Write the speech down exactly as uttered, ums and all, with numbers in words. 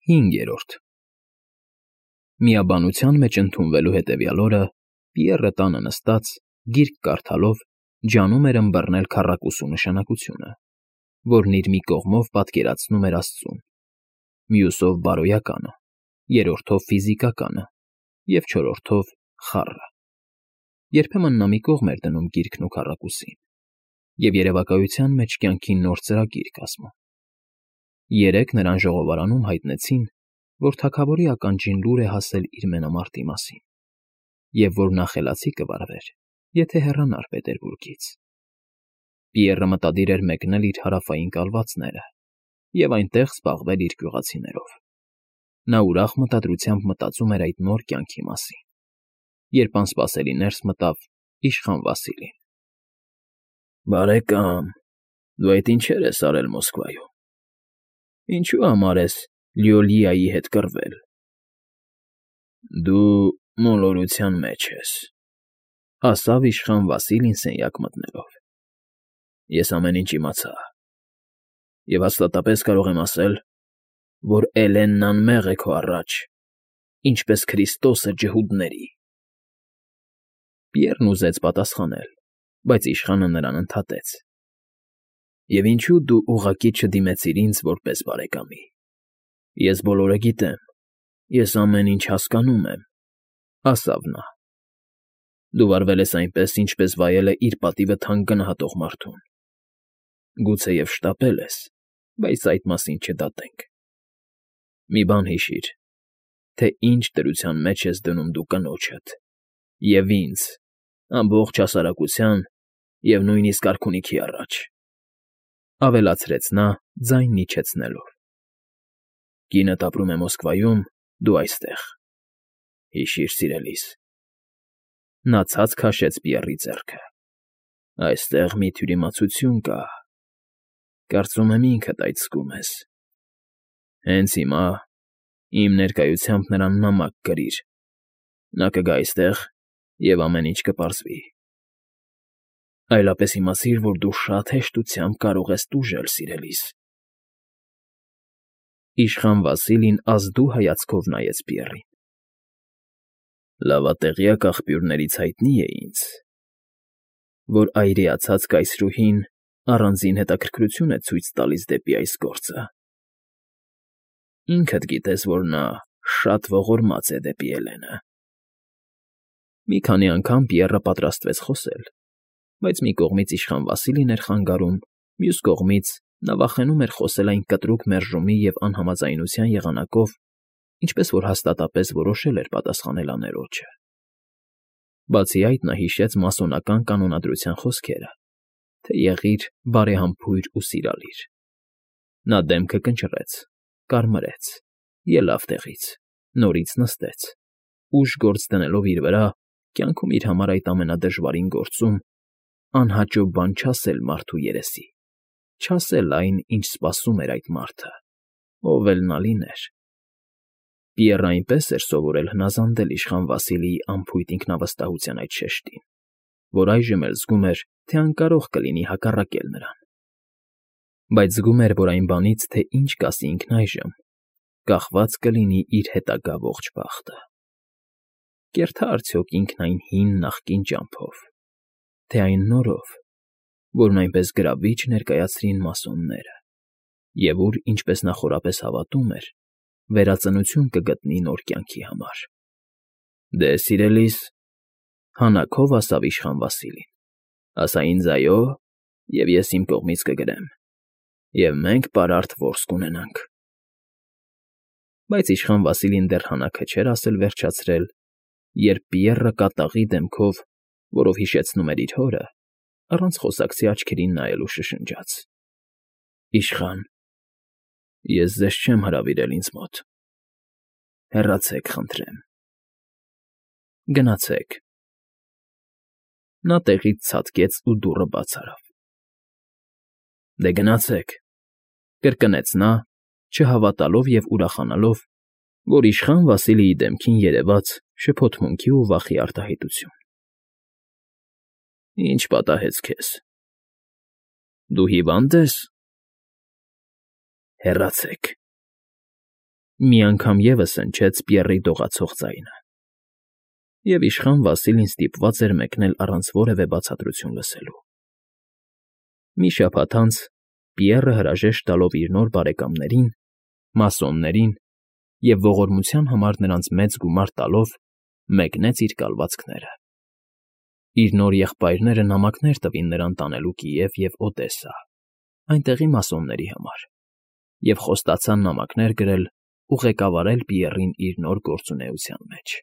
Հինգերորդ Միաբանության մեջ ընդունվելու հետևյալ օրը Պիեռը տանը նստած, գիրք կարդալով, ջանում էր ըմբռնել քառակուսու նշանակությունը, որն իր մի կողմով պատկերացնում էր աստծուն, մյուսով բարոյականը, երրորդով ֆիզիկականը և չորրորդով խառը. երբեմն նա մի կողմ էր դնում գիրքն ու քառակուսին և երևակայության մեջ կյանքի նոր ծրագիր կազմում. երեկ նրան ժողովարանում հայտնեցին, որ թագավորի ականջին լուր է հասել իր մենամարտի մասին և որ նա խելացի կվարվեր, եթե հեռանար Պետերբուրգից. Պիեռը մտադիր էր մեկնել իր հարավային կալվածները և այնտեղ զբաղվել իր գյուղացիներով. նա ուրախ մտադրությամբ մտածում էր այդ նոր կյանքի մասին, երբ անսպասելի ներս մտավ իշխան Վասիլին. Բարեկամ, դու այդ ինչեր ես արել Մոսկվայում, ինչու համար ես Լիոլիայի հետ կռվել։ Դու մոլորության մեջ ես, ասավ իշխան Վասիլին սենյակ մտնելով. Ես ամեն ինչ իմացա և հաստատապես կարող եմ ասել, որ Էլենն անմեղ է քո առաջ, ինչպես Քրիստոսը ջհուդների։ Պիեռն ուզեց պատասխանել, բայց իշխանը նրան ընդհատեց. Եվ ինչու դու ուղղակի չդիմեցիր ինձ որպես բարեկամի։ Ես բոլորը գիտեմ, ես ամեն ինչ հասկանում եմ, ասավ նա. Դու վարվել ես այնպես, ինչպես վայել է իր պատիվը թանկ գնահատող մարդուն։ Գուցեև շտապել ես, բայց այդ մասին չդատենք։ Մի բան հիշիր, թե ինչ դրության մեջ ես դնում դու կնոջդ և ինձ, ամբողջ հասարակության և նույնիսկ արքունիքի առաջ, ավելացրեց նա ձայնն իջեցնելով. Կինդ ապրում է Մոսկվայում, դու այստեղ, հիշիր, սիրելիս։ Նա ցած քաշեց Պիեռի ձեռքը. Այստեղ մի թյուրիմացություն կա, կարծում եմ ինքդ այդ զգում ես։ Հենց հիմա իմ ներկայությամբ նրան նամակ գրիր, նա կգա այստեղ և ամեն ինչ կպարզվի։ Այլապես իմացիր, որ դու շատ հեշտությամբ կարող ես տուժել, սիրելիս։ Իշխան Վասիլին ազդու հայացքով նայեց Պիեռին. Լավատեղյակ աղբյուրներից հայտնի է ինձ, որ այրիացած կայսրուհին առանձին հետաքրքրություն է ցույց տալիս դեպի այս գործը։ Ինքդ գիտես, որ նա շատ ողորմած է դեպի Էլենը։ Մի քանի անգամ Պիեռը պատրաստվեց խոսել, բայց մի կողմից իշխան Վասիլին էր խանգարում, մյուս կողմից նա վախենում էր խոսել այն կտրուկ մերժումի և անհամաձայնության եղանակով, ինչպես որ հաստատապես որոշել էր պատասխանել աներոջը։ Բացի այդ նա հիշեց մասոնական կանոնադրության խոսքերը, թե եղիր բարեհամբույր ու սիրալիր։ Նա դեմքը կնճռեց, կարմրեց, ելավ տեղից, նորից նստեց, ուժ գործ դնելով իր վրա, կյանքում իր համար այդ ամենադժվարին գործում, անհաճո բան չասել մարդու երեսի, չասել այն, ինչ սպասում էր այդ մարդը, ով էլ նա լիներ։ Պիեռը այնպես էր սովորել հնազանդել իշխան Վասիլիի անփույթ ինքնավստահության այդ շեշտին, որ այժմ էլ զգում էր, թե անկարող կլինի հակառակել նրան։ Բայց զգում էր, որ այն բանից, թե ինչ կասի ինքն այժմ, կախված կլինի իր հետագա ողջ բախտը։ Կերթա՞ արդյոք ինքն այն հին նախկին ճամփով, թե այն նորով, որն այնպես գրավիչ ներկայացրին մասոնները, և ուր, ինչպես նա խորապես հավատում էր, վերածնություն կգտնի նոր կյանքի համար։ Դե, սիրելիս, հանաքով ասավ իշխան Վասիլին, ասա ինձ այո, և ես իմ կողմից կգրեմ, և մենք պարարտ որս կունենանք։ Բայց իշխան Վասիլին դեռ հանաքը չէր ասել վերջացրել, երբ Պիեռը կատաղի դեմքով, որով հիշեցնում էր իր հորը, առանց խոսակցի աչքերին նայելու շշնջաց. Իշխան, ես ձեզ չեմ հրավիրել ինձ մոտ։ Հեռացեք, խնդրեմ։ Գնացեք։ Նա տեղից ցատկեց ու դուռը բաց արավ։ Դե գնացեք, կրկնեց նա, չհավատալով և ուրախանալով, որ իշխան Վասիլիի դեմքին երևաց շփոթմունքի ու վախի արտահայտություն։ Ինչ պատահեց քեզ։ Դու հիվա՞նդ ես։ Հեռացեք։ Մի անգամ ևս հնչեց Պիեռի դողացող ձայնը, և իշխան Վասիլին ստիպված էր մեկնել առանց որևէ բացատրություն լսելու։ Մի շաբաթ անց Պիեռը հրաժեշտ տալով իր նոր բարեկամներին՝ մասոններին, և ողորմության համար նրանց մեծ գումար տալով, մեկնեց իր կալվածքները։ Իր նոր եղբայրները նամակներ տվին նրան տանելու Կիև և Օդեսա, այնտեղի մասոնների համար, և խոստացան նամակներ գրել ու ղեկավարել Պիեռին իր նոր գործունեության մեջ։